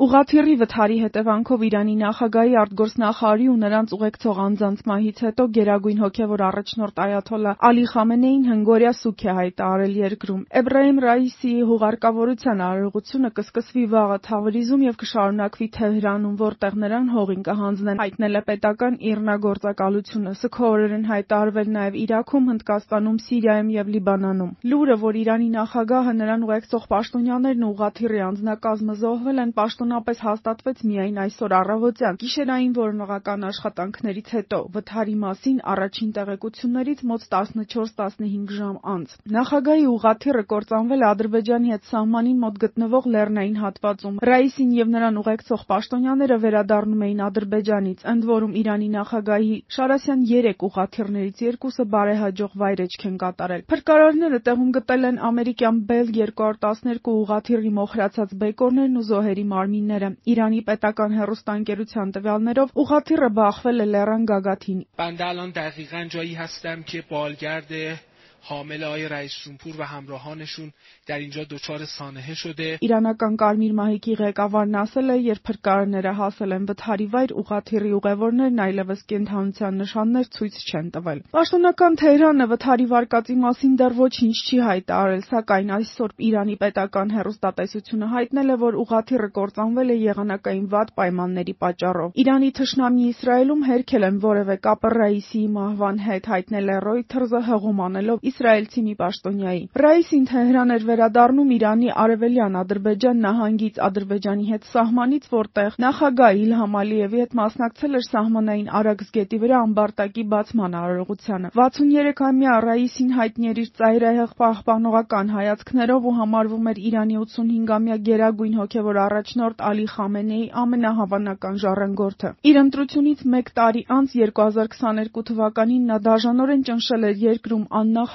Ուղղաթիռի վթարի հետևանքով Իրանի նախագահի արտգործնախարարի ու նրանց ուղեկցող անձանց մահից հետո Գերագույն հոգևոր առաջնորդ Այաթոլլահ Ալի Խամենեին հնգօրյա սուգ է հայտարարել երկրում։ Էբրահիմ Ռայիսիի հուղարկավորության արարողությունը կսկսվի վաղը Թավրիզում և կշարունակվի Թեհրանում, որտեղ նրան հողին կհանձնեն, հայտնել է պետական իռնագործակալությունը։ Սգո օրեր են հայտարարվել նաև Իրաքում, Հնդկաստանում, Սիրիայում և Լիբանանում։ Լուրը, որ Իրանի նախագահը, նրան ուղեկցող պաշտոնյաներն ու ուղղաթիռի անձնակազմը զոհվել են, պաշտոնապես հաստատվեց միայն այսօր առավոտյան, գիշերային որոնողական աշխատանքներից հետո, վթարի մասին առաջին տեղեկություններից մոտ 14-15 ժամ անց։ Նախագահի ուղղաթիռը կործանվել է Ադրբեջանի հետ սահմանին մոտ գտնվող լեռնային հատվածում։ Ռայիսին և նրան ուղեկցող պաշտոնյաները վերադառնում էին Ադրբեջանից, ընդ որում Իրանի նախագահի Շարասյան 3 ուղղաթիռներից 2-ը բարեհաջող վայրէջք են կատարել։ Փրկարարները տեղում գտել են ամերիկյան Bell 212 ուղղաթիռի մոխրացած բեկորներն ու զոհերի մարմինները։ Իրանի պետական հեռուստաընկերության տվյալներով ուղղաթիռը բախվել է լեռան գագաթին։ بنده الان دقیقاً جایی هستم که بالگرد حامل آقای رئیس جمهور و همراهانشون در اینجا دچار سانحه شده. Իրանական Կարմիր մահիկի ղեկավարն ասել է, երբ փրկարարները հասել են վթարի վայր, ուղղաթիռի ուղևորներն այլևս կենդանության նշաններ ցույց չեն տվել։ Պաշտոնական Թեհրանը վթարի վարկածի մասին դեռ ոչինչ չի հայտարարել, սակայն այսօր Իրանի պետական հեռուստատեսությունը հայտնել է, որ ուղղաթիռը կործանվել է եղանակային վատ պայմանների պատճառով։ Իրանի թշնամի Իսրայելում հերքել են որևէ կապ Ռայիսիի մահվան հետ, հայտնել է Reuters-ը հղում անելով իսրայելցի մի պաշտոնյայի։ Ռայիսին Թեհրան էր վերադառնում Իրանի արևելյան Ադրբեջան նահանգից, Ադրբեջանի հետ սահմանից, որտեղ նախագահ Իլհամ Ալիևի հետ մասնակցել էր սահմանային Արաքս գետի վրա ամբարտակի բացման արարողությանը։ 63-ամյա Ռայիսին հայտնի էր իր ծայրահեղ պահպանողական հայացքներով ու համարվում էր Իրանի 85-ամյա Գերագույն հոգևոր առաջնորդ Ալի Խամենեիի ամենահավանական ժառանգորդը։ Իր ընտրությունից մեկ տարի անց 2022 թվականին նա դաժանորեն ճնշել էր երկրում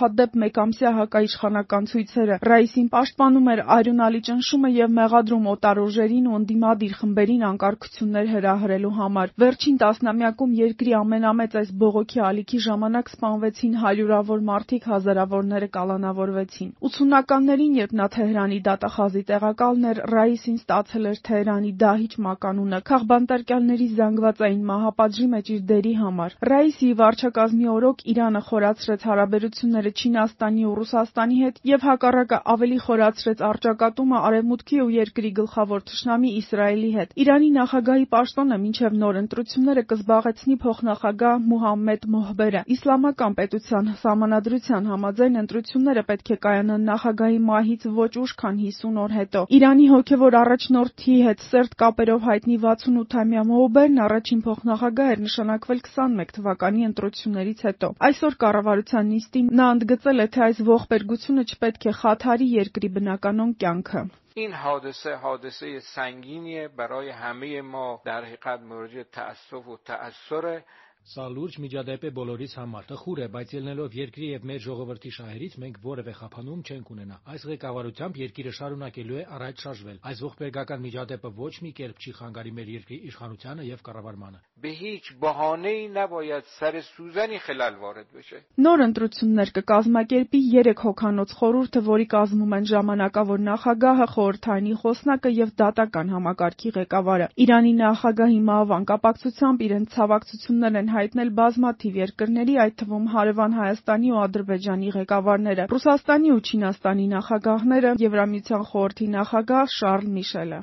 աննախադեպ մեկամսյա հակաիշխանական ցույցերը։ Ռայիսին պաշտպանում էր արյունալի ճնշումը և մեղադրում օտար ուժերին ու ընդդիմադիր խմբերին անկարգություններ հրահրելու համար։ Վերջին տասնամյակում երկրի ամենամեծ այս բողոքի ալիքի ժամանակ սպանվեցին հարյուրավոր մարդիկ, հազարավորները կալանավորվեցին։ 80-ականներին, երբ նա Թեհրանի դատախազի տեղակալն էր, Ռայիսին ստացել էր Թեհրանի դահիճ մականունը քաղբանտարկյալների զանգվածային մահապատժի մեջ իր դերի համար։ Ռայիսիի վարչակազմի օրոք Իրանը խորացրեց հարաբերությունները Չինաստանի ու Ռուսաստանի հետ և հակառակը ավելի խորացրեց առճակատումը Արևմուտքի ու երկրի գլխավոր թշնամի Իսրայելի հետ։ Իրանի նախագահի պաշտոնը մինչև նոր ընտրությունները կզբաղեցնի փոխնախագահ Մոհամմեդ Մոհբերը։ Իսլամական պետության սահմանադրության համաձայն ընտրությունները պետք է կայանան նախագահի մահից ոչ ուշ, քան 50 օր հետո։ Իրանի հոգևոր առաջնորդի հետ սերտ կապերով հայտնի 68-ամյա Մոհբերն առաջին փոխնախագահ էր նշանակվել 21 թվականի ընտրություններից հետո։ Այսօր կառավարության նիստին նա ընդգծել է, թե այս ողբերգությունը չպետք է խաթարի երկրի բնականոն կյանքը։ این حادثه سنگینیه برای همه ما در حقیقت مورد تأسف و تأثره. Սա լուրջ միջադեպ է բոլորիս համար։ Տխուր է, բայց ելնելով երկրի եւ մեր ժողովրդի շահերից մենք որևէ խափանում չենք ունենա։ Այս ղեկավարությամբ երկիրը շարունակելու է առաջ շարժվել։ Այս ողբերգական միջադեպը ոչ մի կերպ չի խանգարի մեր երկրի իշխանությանը եւ կառավարմանը։ به هیچ بهانه‌ای نباید سر سوزنی خلل وارد بشه. Նոր ընտրություններ կկազմակերպի 3 հոգանոց խորհուրդը, որի կազմում են ժամանակավոր նախագահը, խորհրդարանի խոսնակը եւ դատական համակարգի ղեկավարը։ Իրանի նախագահի մահվան կապակցությամբ իրենց ցավակցություններ են հայտնել բազմաթիվ երկրների, այդ թվում հարևան Հայաստանի ու Ադրբեջանի ղեկավարները, Ռուսաստանի ու Չինաստանի նախագահները, Եվրամիության խորհրդի նախագահ Շարլ Միշելը։